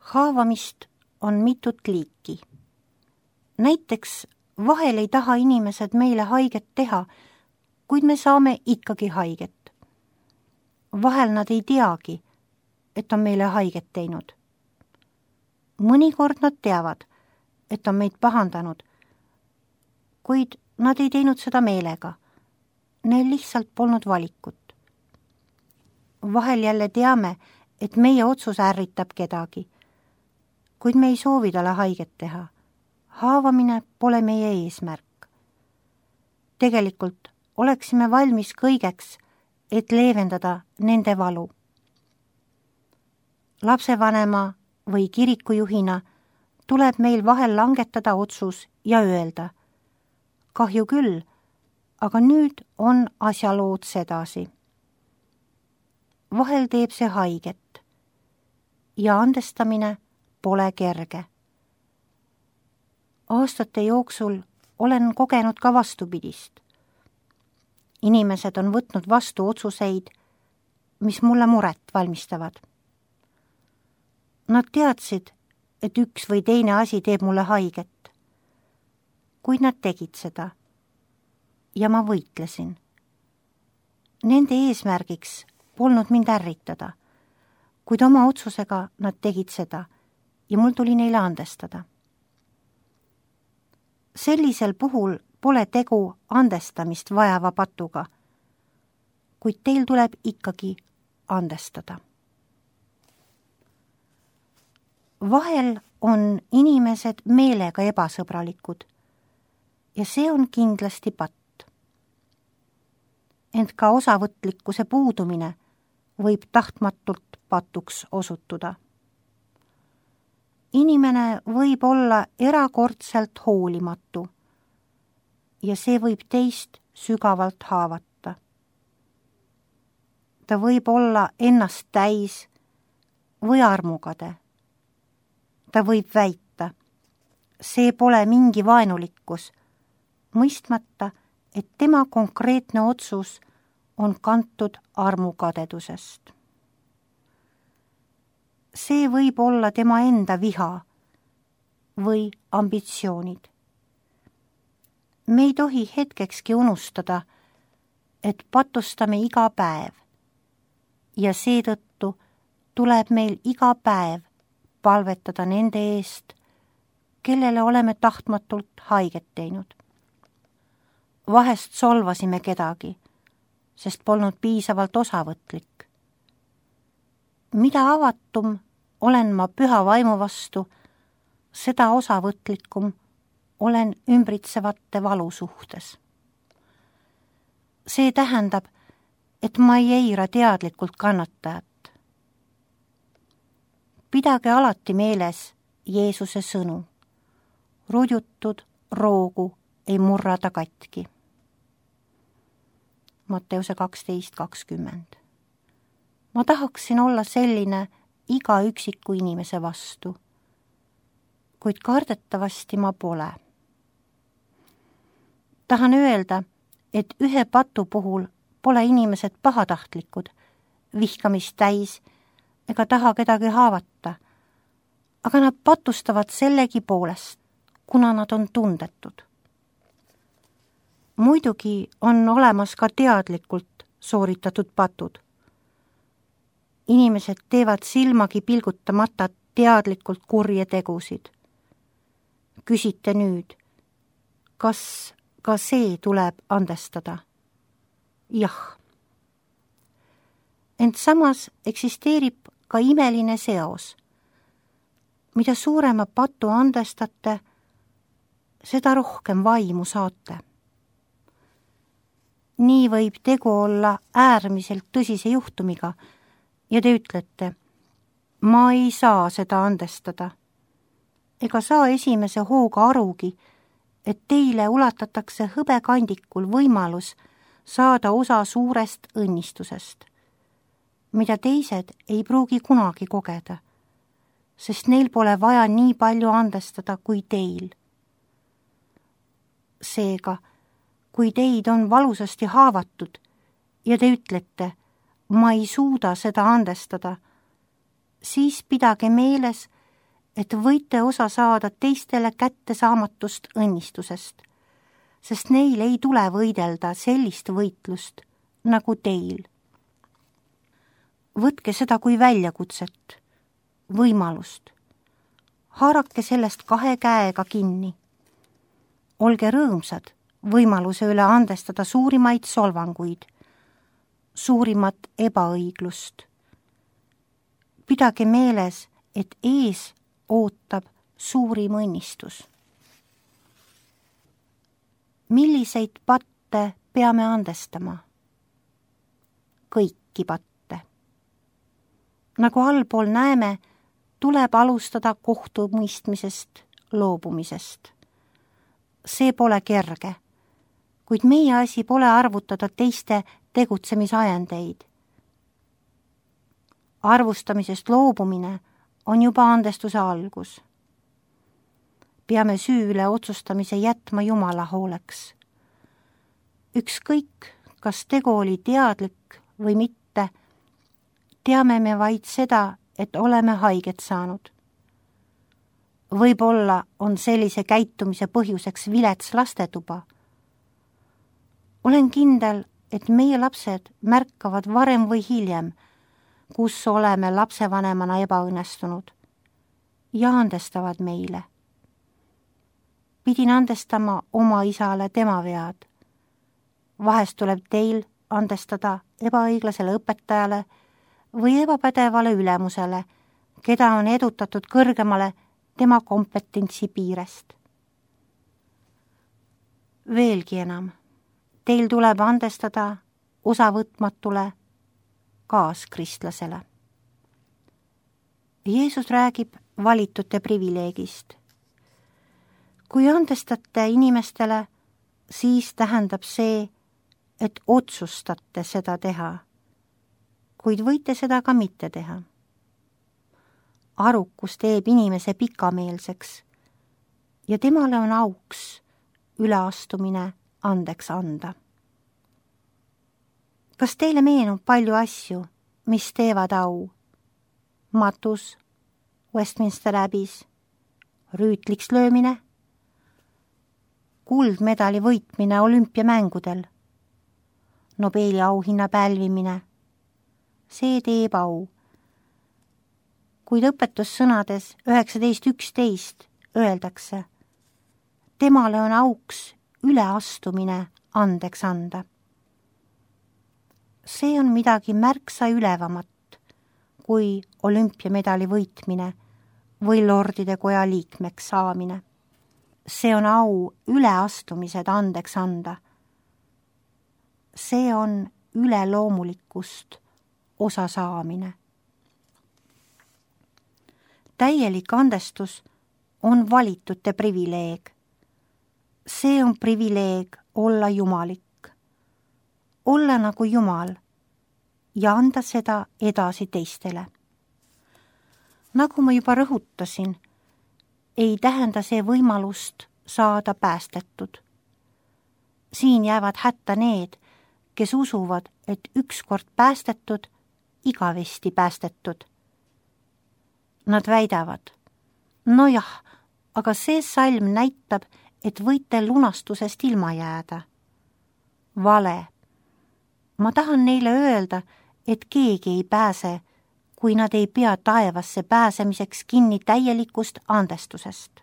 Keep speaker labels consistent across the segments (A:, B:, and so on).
A: Haavamist on mitut liiki. Näiteks vahel ei taha inimesed meile haiget teha, kuid me saame ikkagi haiget. Vahel nad ei teagi, et on meile haiget teinud. Mõnikord nad teavad, et on meid pahandanud, kuid nad ei teinud seda meelega. Neil lihtsalt polnud valikut. Vahel jälle teame, et meie otsus ärritab kedagi, kuid me ei soovi talle haiget teha. Haavamine pole meie eesmärk. Tegelikult oleksime valmis kõigeks, et leevendada nende valu. Lapsevanema või kirikujuhina tuleb meil vahel langetada otsus ja öelda: kahju küll, aga nüüd on asjalood sedasi. Vahel teeb see haiget ja andestamine pole kerge. Aastate jooksul olen kogenud ka vastupidist. Inimesed on võtnud vastu otsuseid, mis mulle muret valmistavad. Nad teadsid, et üks või teine asi teeb mulle haiget, kuid nad tegid seda ja ma võitlesin. Nende eesmärgiks polnud mind ärritada, kuid oma otsusega nad tegid seda ja mul tuli neile andestada. Sellisel puhul pole tegu andestamist vajava patuga, kuid teil tuleb ikkagi andestada. Vahel on inimesed meelega ebasõbralikud ja see on kindlasti patt. Ent ka osavõtlikkuse puudumine võib tahtmatult patuks osutuda. Inimene võib olla erakordselt hoolimatu ja see võib teist sügavalt haavata. Ta võib olla ennast täis või armukade. Ta võib väita, see pole mingi vaenulikkus, mõistmata, et tema konkreetne otsus on kantud armukadedusest. See võib olla tema enda viha või ambitsioonid. Me ei tohi hetkekski unustada, et patustame iga päev ja seetõttu tuleb meil iga päev palvetada nende eest, kellele oleme tahtmatult haiget teinud. Vahest solvasime kedagi, sest polnud piisavalt osavõtlik. Mida avatum olen ma püha vaimu vastu, seda osavõtlikum olen ümbritsevate valu suhtes. See tähendab, et ma ei eira teadlikult kannatajat. Pidage alati meeles Jeesuse sõnu. Rudjutud roogu ei murrada katki. Matteuse 12:20. Ma tahaksin olla selline iga üksiku inimese vastu, kuid kardetavasti ma pole. Tahan öelda, et ühe patu puhul pole inimesed pahatahtlikud, vihkamist täis ega taha kedagi haavata, aga nad patustavad sellegi poolest, kuna nad on tundetud. Muidugi on olemas ka teadlikult sooritatud patud. Inimesed teevad silmagi pilgutamata teadlikult kurje tegusid. Küsite nüüd, kas ka see tuleb andestada? Jah. Ent samas eksisteerib ka imeline seos. Mida suurema patu andestate, seda rohkem vaimu saate. Nii võib tegu olla äärmiselt tõsise juhtumiga ja te ütlete, ma ei saa seda andestada. Ega saa esimese hooga arugi, et teile ulatatakse hõbekandikul võimalus saada osa suurest õnnistusest, mida teised ei pruugi kunagi kogeda, sest neil pole vaja nii palju andestada kui teil. Seega, kui teid on valusasti haavatud ja te ütlete, ma ei suuda seda andestada, siis pidage meeles, et võite osa saada teistele kättesaamatust õnnistusest, sest neil ei tule võidelda sellist võitlust nagu teil. Võtke seda kui väljakutset, võimalust. Haarake sellest 2 käega kinni. Olge rõõmsad võimaluse üle andestada suurimaid solvanguid, suurimat ebaõiglust. Pidage meeles, et ees ootab suurim õnnistus. Milliseid patte peame andestama? Kõiki patte. Nagu allpool näeme, tuleb alustada kohtumõistmisest, loobumisest. See pole kerge, kuid meie asi pole arvutada teiste tegutsemisajendeid. Arvustamisest loobumine on juba andestuse algus. Peame süü üle otsustamise jätma Jumala hooleks. Ükskõik, kas tegu oli teadlik või mitte, teame me vaid seda, et oleme haiget saanud. Võib-olla on sellise käitumise põhjuseks vilets lastetuba. Olen kindel, et meie lapsed märkavad varem või hiljem, kus oleme lapsevanemana ebaõnnestunud ja andestavad meile. Pidin andestama oma isale tema vead. Vahest tuleb teil andestada ebaõiglasele õpetajale või ebapädevale ülemusele, keda on edutatud kõrgemale tema kompetentsi piirest. Veelgi enam, teil tuleb andestada osavõtmatule kaaskristlasele. Jeesus räägib valitute privileegist. Kui andestate inimestele, siis tähendab see, et otsustate seda teha, kuid võite seda ka mitte teha. Arukus teeb inimese pikameelseks ja temale on auks üleastumine andeks anda. Kas teile meenub palju asju, mis teevad au? Matus, Westminster Abbey's, rüütliks löömine, kuldmedali võitmine olümpiamängudel, Nobeli auhinna pälvimine. See teeb au. Kuid õpetussõnades 19.11 öeldakse, temale on auks üleastumine andeks anda. See on midagi märksa ülevamat kui olümpiamedali võitmine või lordide koja liikmeks saamine. See on au üleastumised andeks anda. See on üleloomulikust osa saamine. Täielik andestus on valitute privileeg. See on privileeg olla jumalik, olla nagu Jumal ja anda seda edasi teistele. Nagu ma juba rõhutasin, ei tähenda see võimalust saada päästetud. Siin jäävad hätta need, kes usuvad, et ükskord päästetud, igavesti päästetud. Nad väidavad, nojah, aga see salm näitab, et võite lunastusest ilma jääda. Vale. Ma tahan neile öelda, et keegi ei pääse, kui nad ei pea taevasse pääsemiseks kinni täielikust andestusest.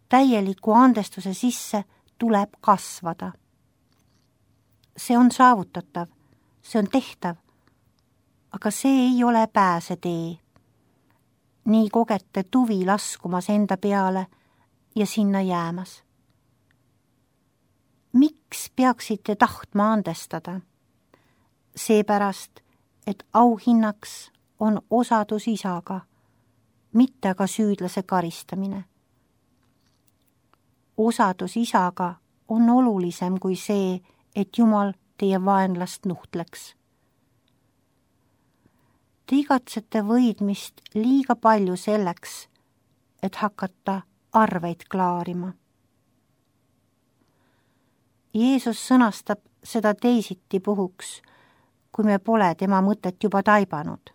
A: Täieliku andestuse sisse tuleb kasvada. See on saavutatav, see on tehtav, aga see ei ole pääsetee. Nii kogete tuvi laskumas enda peale ja sinna jäämas. Miks peaksite tahtma andestada? Seepärast, et auhinnaks on osadus isaga, mitte aga süüdlase karistamine. Osadus isaga on olulisem kui see, et Jumal teie vaenlast nuhtleks. Te igatsete võidmist liiga palju selleks, et hakata arveid klaarima. Jeesus sõnastab seda teisiti puhuks, kui me pole tema mõtet juba taibanud.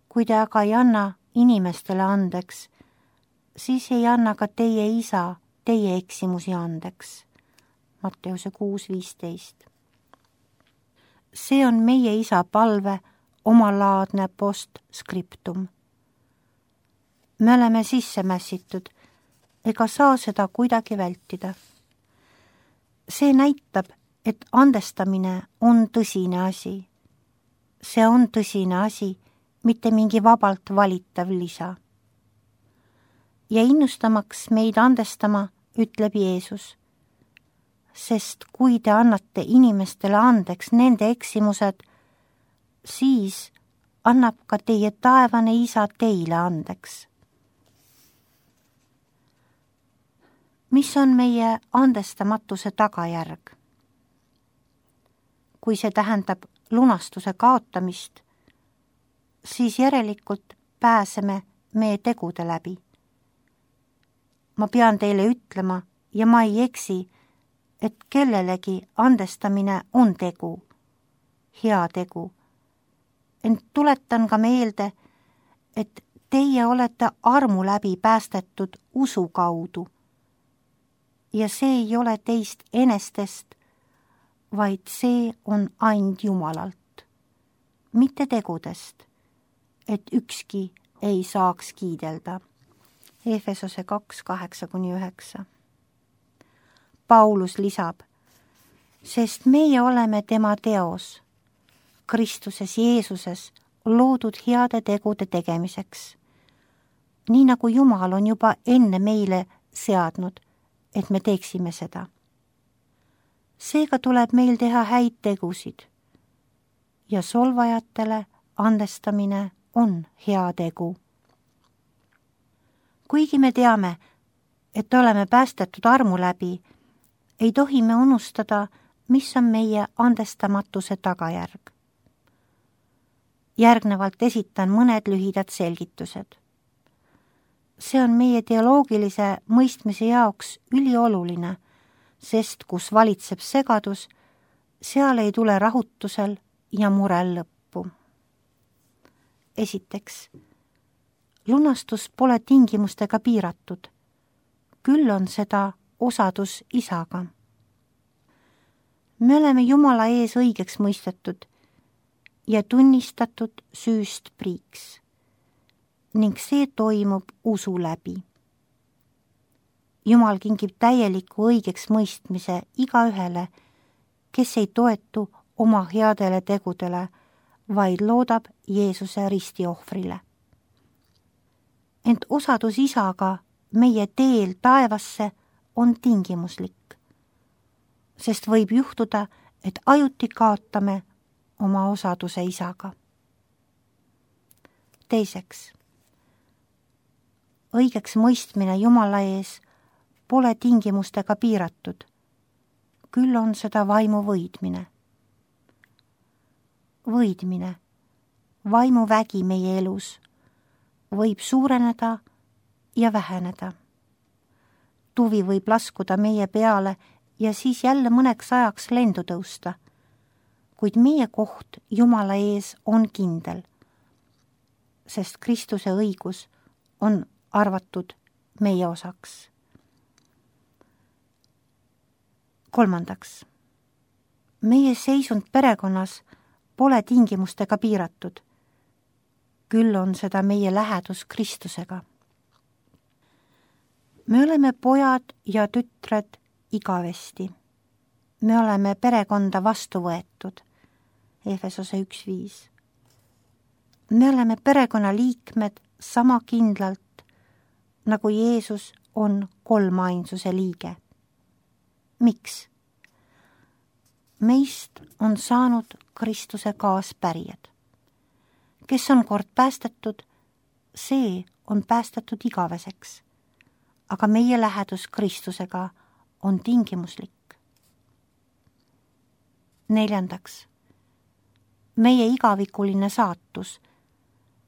A: Kui te aga ei anna inimestele andeks, siis ei anna ka teie isa teie eksimusi andeks. Matteuse 6:15. See on meie isa palve, omalaadne postscriptum. Me oleme sisse mässitud, ega saa seda kuidagi vältida. See näitab, et andestamine on tõsine asi. See on tõsine asi, mitte mingi vabalt valitav lisa. Ja innustamaks meid andestama, ütleb Jeesus, sest kui te annate inimestele andeks nende eksimused, siis annab ka teie taevane isa teile andeks. Mis on meie andestamatuse tagajärg? Kui see tähendab lunastuse kaotamist, siis järelikult pääseme meie tegude läbi. Ma pean teile ütlema, ja ma ei eksi, et kellelegi andestamine on tegu, hea tegu. Ent tuletan ka meelde, et teie olete armu läbi päästetud usu kaudu. Ja see ei ole teist enestest, vaid see on ainult Jumalalt, mitte tegudest, et ükski ei saaks kiidelda. Efesose 2:8-9. Paulus lisab, sest meie oleme tema teos, Kristuses Jeesuses loodud heade tegude tegemiseks, nii nagu Jumal on juba enne meile seadnud, et me teeksime seda. Seega tuleb meil teha häid tegusid ja solvajatele andestamine on hea tegu. Kuigi me teame, et oleme päästetud armu läbi, ei tohi me unustada, mis on meie andestamatuse tagajärg. Järgnevalt esitan mõned lühidad selgitused. See on meie teoloogilise mõistmise jaoks ülioluline, sest kus valitseb segadus, seal ei tule rahutusel ja murel lõppu. Esiteks, lunastus pole tingimustega piiratud, küll on seda osadus isaga. Me oleme Jumala ees õigeks mõistetud ja tunnistatud süüst priiks ning see toimub usu läbi. Jumal kingib täieliku õigeks mõistmise igaühele, kes ei toetu oma headele tegudele, vaid loodab Jeesuse ristiohvrile. Ent osadus isaga meie teel taevasse on tingimuslik, sest võib juhtuda, et ajuti kaotame oma osaduse isaga. Teiseks, õigeks mõistmine Jumala ees pole tingimustega piiratud, küll on seda vaimu võidmine. Võidmine, vaimuvägi meie elus, võib suureneda ja väheneda. Tuvi võib laskuda meie peale ja siis jälle mõneks ajaks lendu tõusta, kuid meie koht Jumala ees on kindel, sest Kristuse õigus on arvatud meie osaks. Kolmandaks, meie seisund perekonnas pole tingimustega piiratud, küll on seda meie lähedus Kristusega. Me oleme pojad ja tütred igavesti. Me oleme perekonda vastu võetud, Efesose 1:5. Me oleme perekonna liikmed sama kindlalt, nagu Jeesus on kolmainsuse liige. Miks? Meist on saanud Kristuse kaaspärijad. Kes on kord päästetud, see on päästetud igaveseks, aga meie lähedus Kristusega on tingimuslik. Neljandaks, meie igavikuline saatus,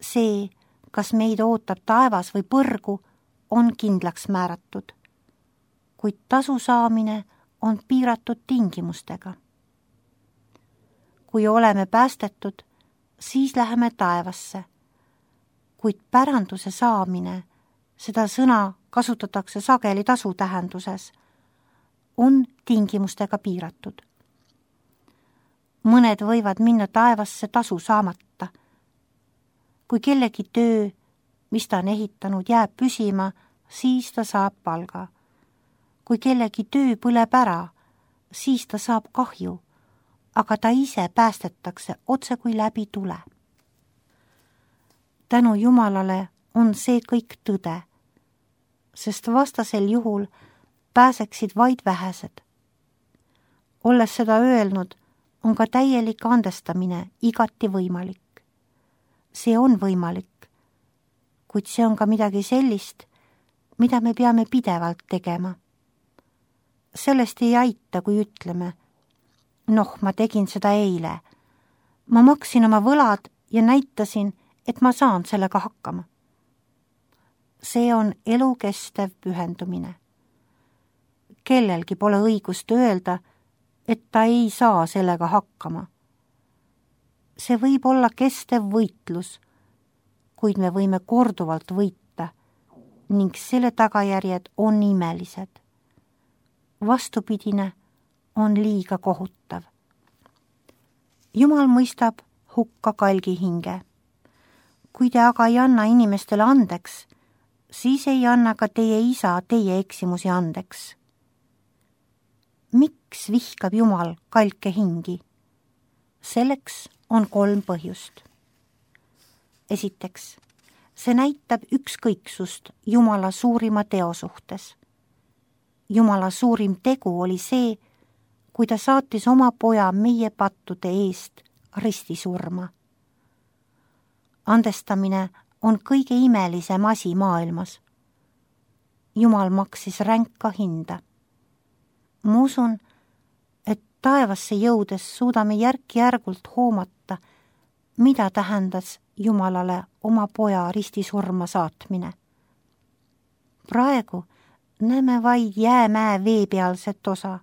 A: see, kas meid ootab taevas või põrgu, on kindlaks määratud, kuid tasu saamine on piiratud tingimustega. Kui oleme päästetud, siis läheme taevasse, kuid päranduse saamine, seda sõna kasutatakse sageli tasu tähenduses, on tingimustega piiratud. Mõned võivad minna taevasse tasu saamata. Kui kellegi töö, mis ta on ehitanud, jääb püsima, siis ta saab palga. Kui kellegi töö põleb ära, siis ta saab kahju, aga ta ise päästetakse otse kui läbi tule. Tänu Jumalale on see kõik tõde, sest vastasel juhul pääseksid vaid vähesed. Olles seda öelnud, on ka täielik andestamine igati võimalik. See on võimalik, kuid see on ka midagi sellist, mida me peame pidevalt tegema. Sellest ei aita, kui ütleme, ma tegin seda eile. Ma maksin oma võlad ja näitasin, et ma saan sellega hakkama. See on elukestev pühendumine. Kellelgi pole õigust öelda, et ta ei saa sellega hakkama. See võib olla kestev võitlus, kuid me võime korduvalt võita ning selle tagajärjed on imelised. Vastupidine on liiga kohutav. Jumal mõistab hukka kalgi hinge. Kui te aga ei anna inimestele andeks, siis ei anna ka teie isa teie eksimusi andeks. Miks vihkab Jumal kalke hingi? Selleks on 3 põhjust. Esiteks, see näitab ükskõiksust Jumala suurima teo suhtes. Jumala suurim tegu oli see, kui ta saatis oma poja meie pattude eest ristisurma. Andestamine on kõige imelisem asi maailmas. Jumal maksis ränka hinda. Ma usun, et taevasse jõudes suudame järk-järgult hoomata, mida tähendas Jumalale oma poja ristisurma saatmine. Praegu näeme vaid jäämäe veepealset osa.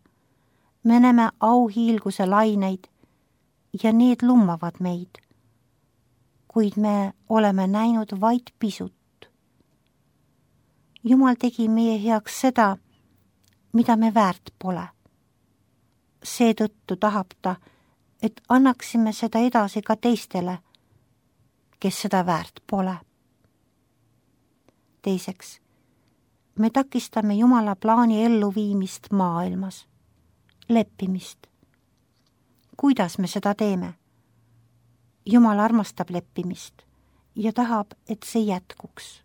A: Me näeme auhiilguse laineid ja need lummavad meid, kuid me oleme näinud vaid pisut. Jumal tegi meie heaks seda, mida me väärt pole. Seetõttu tahab ta, et annaksime seda edasi ka teistele, kes seda väärt pole. Teiseks, me takistame Jumala plaani elluviimist maailmas, leppimist. Kuidas me seda teeme? Jumal armastab leppimist ja tahab, et see jätkuks.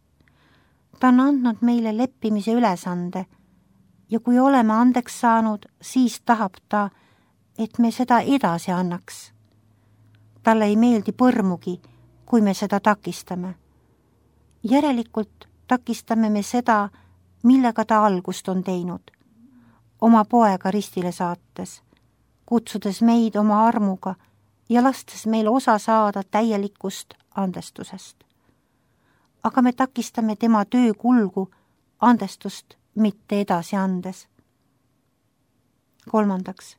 A: Ta on andnud meile leppimise ülesande ja kui oleme andeks saanud, siis tahab ta, et me seda edasi annaks. Talle ei meeldi põrmugi, kui me seda takistame. Järelikult takistame me seda, millega ta algust on teinud, oma poega ristile saates, kutsudes meid oma armuga ja lastes meil osa saada täielikust andestusest. Aga me takistame tema töö kulgu andestust mitte edasi andes. Kolmandaks,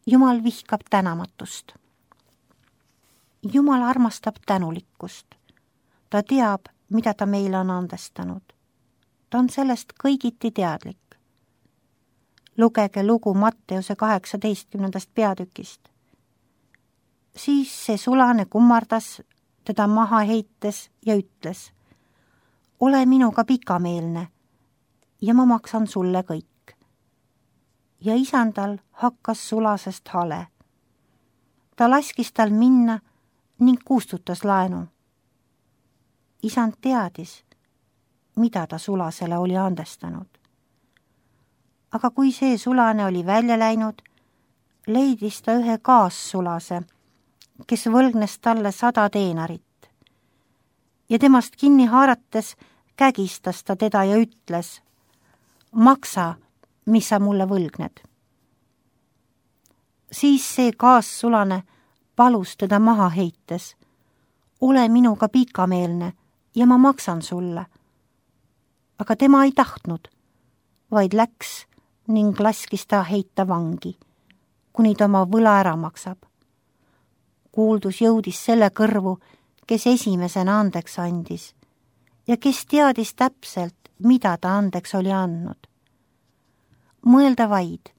A: Jumal vihkab tänamatust. Jumal armastab tänulikkust. Ta teab, mida ta meile on andestanud. Ta on sellest kõigiti teadlik. Lugege lugu Matteuse 18. peatükist. Siis see sulane kummardas teda maha heites ja ütles, ole minuga pikameelne ja ma maksan sulle kõik. Ja isandal hakkas sulasest hale. Ta laskis tal minna ning kustutas laenu. Isand teadis, mida ta sulasele oli andestanud. Aga kui see sulane oli välja läinud, leidis ta ühe kaassulase, kes võlgnes talle 100 teenarit. Ja temast kinni haarates kägistas ta teda ja ütles, maksa, mis sa mulle võlgned. Siis see kaassulane palus teda maha heites, ole minuga pikameelne ja ma maksan sulle. Aga tema ei tahtnud, vaid läks ning laskis ta heita vangi, kuni ta oma võla ära maksab. Kuuldus jõudis selle kõrvu, kes esimesena andeks andis ja kes teadis täpselt, mida ta andeks oli andnud. Mõelda vaid,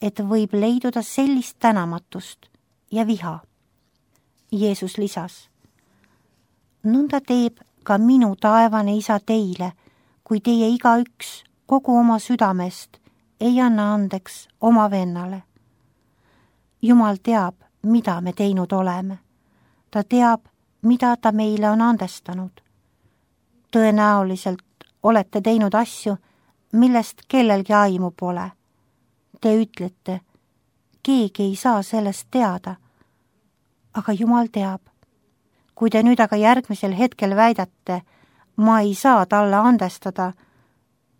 A: et võib leiduda sellist tänamatust ja viha. Jeesus lisas, nõnda teeb ka minu taevane Isa teile, kui teie igaüks kogu oma südamest ei anna andeks oma vennale. Jumal teab, mida me teinud oleme. Ta teab, mida ta meile on andestanud. Tõenäoliselt olete teinud asju, millest kellelgi aimu pole. Te ütlete, keegi ei saa sellest teada, aga Jumal teab. Kui te nüüd aga järgmisel hetkel väidate, ma ei saa talle andestada,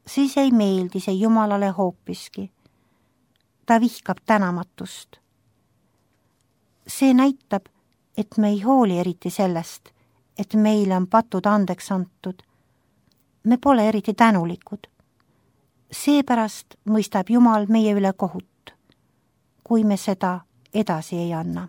A: siis ei meeldi see Jumalale hoopiski. Ta vihkab tänamatust. See näitab, et me ei hooli eriti sellest, et meile on patud andeks antud. Me pole eriti tänulikud. Seepärast mõistab Jumal meie üle kohut, kui me seda edasi ei anna.